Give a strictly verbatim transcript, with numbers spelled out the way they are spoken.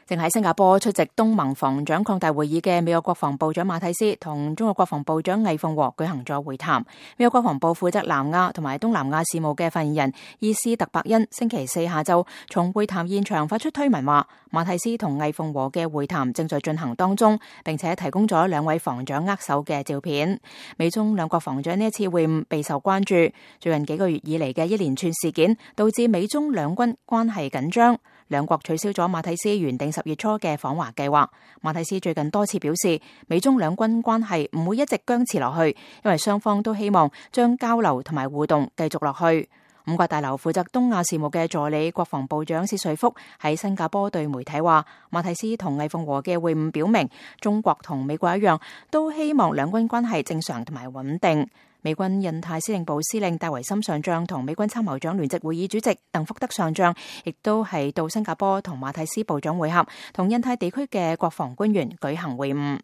正喺新加坡出席東盟防長擴大會議嘅美國國防部長馬蒂斯同中國國防部長魏鳳和舉行咗會談。美國國防部負責南亞同埋東南亞事務嘅發言人伊斯特伯恩星期四下晝從會談現場發出推文話，馬蒂斯同魏鳳和嘅會談正在進行當中，並且提供咗兩位防長握手嘅照片。美中兩國防長呢一次會晤備受關注。最近幾個月以嚟嘅一連串事件導致美中兩軍關係緊張，兩國取消咗馬蒂斯原定十月初嘅訪華計劃。馬蒂斯最近多次表示，美中兩軍關係唔會一直僵持落去，因為雙方都希望將交流同埋互動繼續落去。五角大樓負責東亞事務嘅助理國防部長薛瑞福喺新加坡對媒體話，馬蒂斯同魏鳳和嘅會晤表明，中國同美國一樣，都希望兩軍關係正常同埋穩定。美軍印太司令部司令戴維森上將同美軍參謀長聯席會議主席鄧福德上將，亦都係到新加坡同馬蒂斯部長會合，同印太地區嘅國防官員舉行會晤。